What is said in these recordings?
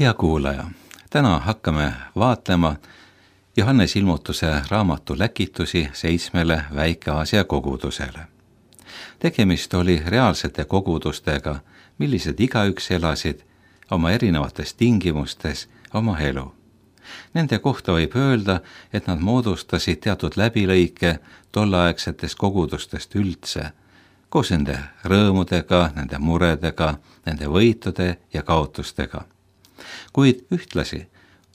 Hea kuulaja, täna hakkame vaatlema Johannese ilmutuse raamatu läkitusi 7 Väike-Aasia kogudusele. Tegemist oli reaalsete kogudustega, millised igaüks elasid oma erinevates tingimustes oma elu. Nende kohta võib öelda, et nad moodustasid teatud läbilõike tolleaegsetest kogudustest üldse, koos nende rõõmudega, nende muredega, nende võitude ja kaotustega. Kuid ühtlasi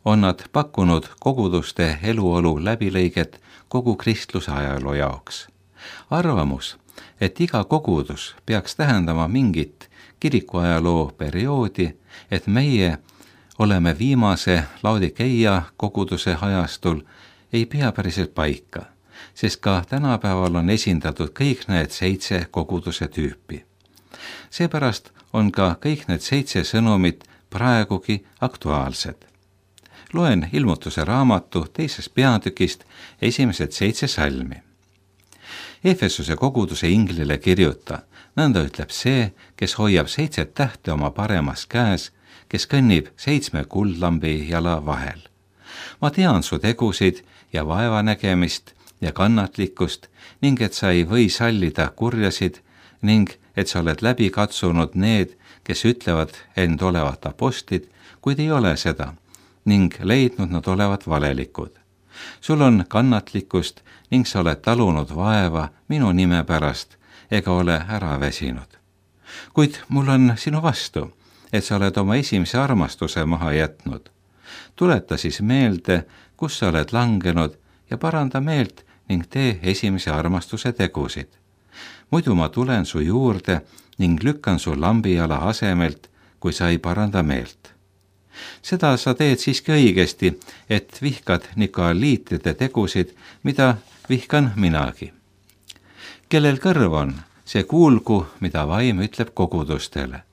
on nad pakkunud koguduste eluolu läbilõiget kogu kristluse ajaloo jaoks. Arvamus, et iga kogudus peaks tähendama mingit kirikuajaloo perioodi, et meie oleme viimase Laodikeia koguduse ajastul, ei pea päriselt paika, sest ka tänapäeval on esindatud kõik need 7 koguduse tüüpi. Seepärast on ka kõik need 7 sõnumit praegugi aktuaalsed. Loen ilmutuse raamatu 2. peatükist esimesed 7 salmi. Efesuse koguduse inglile kirjuta, nõnda ütleb see, kes hoiab 7 tähte oma paremas käes, kes kõnnib 7 kuldlambi jala vahel. Ma tean su tegusid ja vaevanägemist ja kannatlikkust ning et sa ei või sallida kurjasid ning et sa oled läbi katsunud need, kes ütlevad end olevat apostlid, kuid ei ole seda, ning leidnud nad olevat valelikud. Sul on kannatlikkust ning sa oled talunud vaeva minu nime pärast ega ole ära väsinud. Kuid mul on sinu vastu, et sa oled oma esimese armastuse maha jätnud. Tuleta siis meelde, kus sa oled langenud ja paranda meelt ning tee esimese armastuse tegusid. Muidu ma tulen su juurde ning lükkan su lambijala asemelt, kui sa ei paranda meelt. Seda sa teed siiski õigesti, et vihkad nikoliitide tegusid, mida vihkan minagi. Kellel kõrv on, see kuulgu, mida vaim ütleb kogudustele.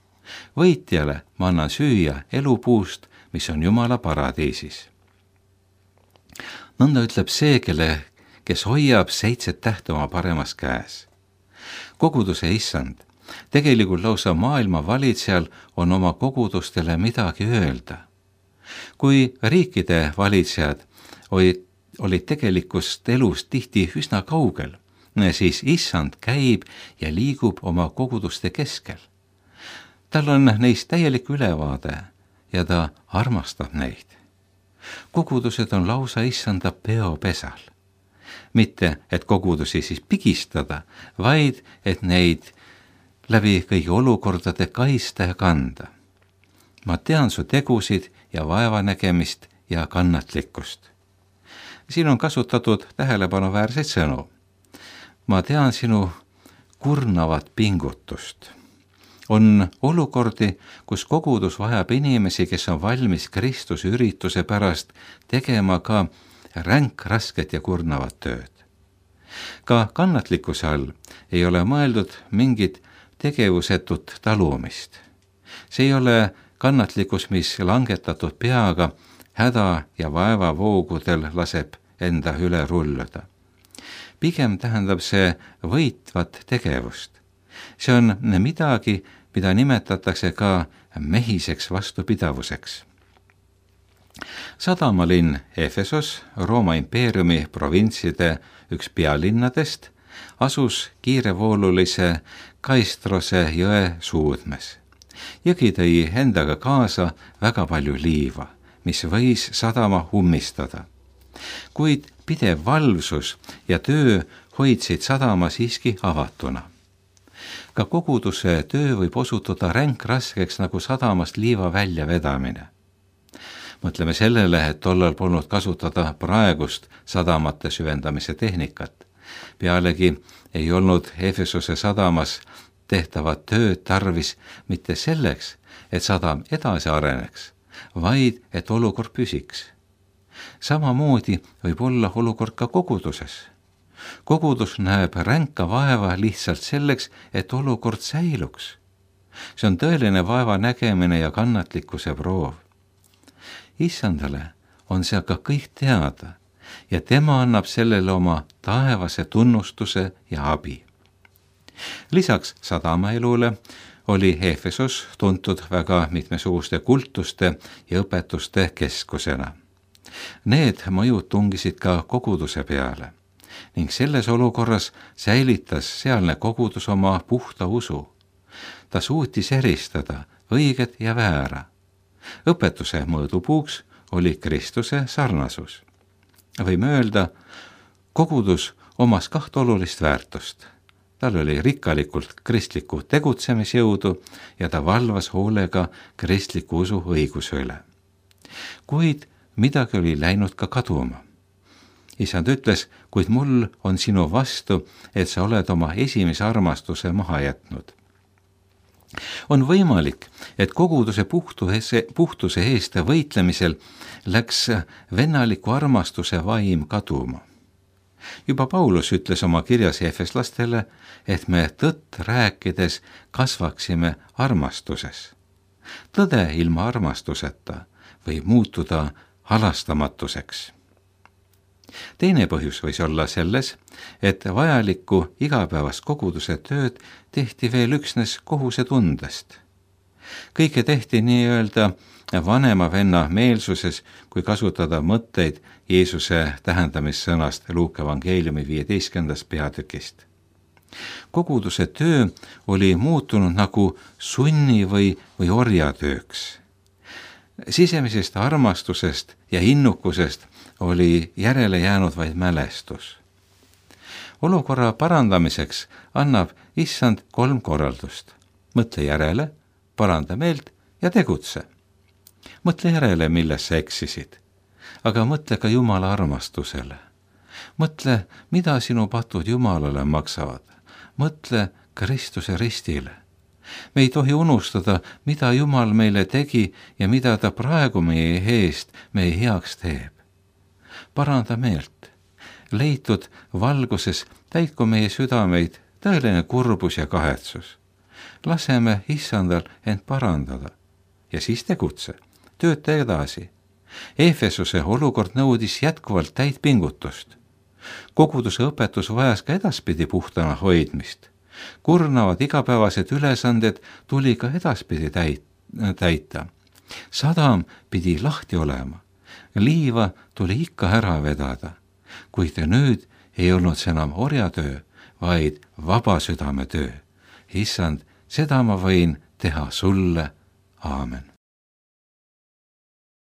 Võitjale ma annan süüa elupuust, mis on Jumala paradiisis. Nõnda ütleb see, kes hoiab 7 tähte oma paremas käes. Koguduse issand, tegelikult lausa maailma valitsejal on oma kogudustele midagi öelda. Kui riikide valitsejad olid tegelikust elust tihti üsna kaugel, siis issand käib ja liigub oma koguduste keskel. Tal on neist täielik ülevaade ja ta armastab neid. Kogudused on lausa issanda peopesal. Mitte, et kogudusi siis pigistada, vaid et neid läbi kõigi olukordade kaista ja kanda. Ma tean su tegusid ja vaevanägemist ja kannatlikkust. Siin on kasutatud tähelepanuväärseid sõnu. Ma tean sinu kurnavat pingutust. On olukordi, kus kogudus vajab inimesi, kes on valmis Kristuse ürituse pärast tegema ka ränk, rasket ja kurnavat tööd. Ka kannatlikkuse all ei ole mõeldud mingit tegevusetut talumist. See ei ole kannatlikkus, mis langetatud peaga häda ja vaeva voogudel laseb enda üle rulluda. Pigem tähendab see võitvat tegevust. See on midagi, mida nimetatakse ka mehiseks vastupidavuseks. Sadamalinn Efesos, Rooma impeeriumi provintside üks pealinnadest, asus kiirevoolulise Kaistrose jõe suudmes. Jõgi tõi endaga kaasa väga palju liiva, mis võis sadama ummistada. Kuid pidev valvsus ja töö hoidsid sadama siiski avatuna. Ka koguduse töö võib osutuda ränk raskeks nagu sadamast liiva väljavedamine. Mõtleme sellele, et tollal polnud kasutada praegust sadamate süvendamise tehnikat. Pealegi ei olnud Efesose sadamas tehtavat tööd tarvis mitte selleks, et sadam edasi areneks, vaid et olukord püsiks. Samamoodi võib olla olukord ka koguduses. Kogudus näeb ränka vaeva lihtsalt selleks, et olukord säiluks. See on tõeline vaeva nägemine ja kannatlikkuse proov. Issandale on see aga kõik teada ja tema annab sellele oma taevase tunnustuse ja abi. Lisaks sadamaelule oli Efesos tuntud väga mitmesuguste kultuste ja õpetuste keskusena. Need mõjud tungisid ka koguduse peale ning selles olukorras säilitas sealne kogudus oma puhta usu. Ta suutis eristada õiget ja väära. Õpetuse mõõdupuuks oli Kristuse sarnasus. Võime öelda, kogudus omas 2 olulist väärtust. Tal oli rikkalikult kristlikku tegutsemisjõudu ja ta valvas hoolega kristliku usu õiguse üle. Kuid midagi oli läinud ka kaduma. Isand ütles, kuid mul on sinu vastu, et sa oled oma esimese armastuse maha jätnud. On võimalik, et koguduse puhtuse eest võitlemisel läks vennaliku armastuse vaim kaduma. Juba Paulus ütles oma kirjas efeslastele, et me tõtt rääkides kasvaksime armastuses. Tõde ilma armastuseta võib muutuda halastamatuseks. Teine põhjus võis olla selles, et vajalikku igapäevast koguduse tööd tehti veel üksnes kohusetundest. Kõike tehti nii-öelda vanema venna meelsuses, kui kasutada mõtteid Jeesuse tähendamissõnast Luuka evangeeliumi 15. peatükist. Koguduse töö oli muutunud nagu sunni või orjatööks. Sisemisest armastusest ja innukusest oli järele jäänud vaid mälestus. Olukorra parandamiseks annab Issand 3 korraldust. Mõtle järele, paranda meelt ja tegutse. Mõtle järele, milles sa eksisid, aga mõtle ka Jumala armastusele. Mõtle, mida sinu patud Jumalale maksavad. Mõtle Kristuse ristile. Me ei tohi unustada, mida Jumal meile tegi ja mida ta praegu meie eest meie heaks teeb. Paranda meelt. Leitud valguses täitku meie südameid tõeline kurbus ja kahetsus. Laseme Issandal end parandada ja siis tegutse, tööta edasi. Efesuse olukord nõudis jätkuvalt täit pingutust. Koguduse õpetus vajas ka edaspidi puhtana hoidmist. Kurnavad igapäevased ülesanded tuli ka edaspidi täita. Sadam pidi lahti olema. Liiva tuli ikka ära vedada, kuid nüüd ei olnud see enam orjatöö, vaid vaba südametöö. Issand, seda ma võin teha sulle. Aamen.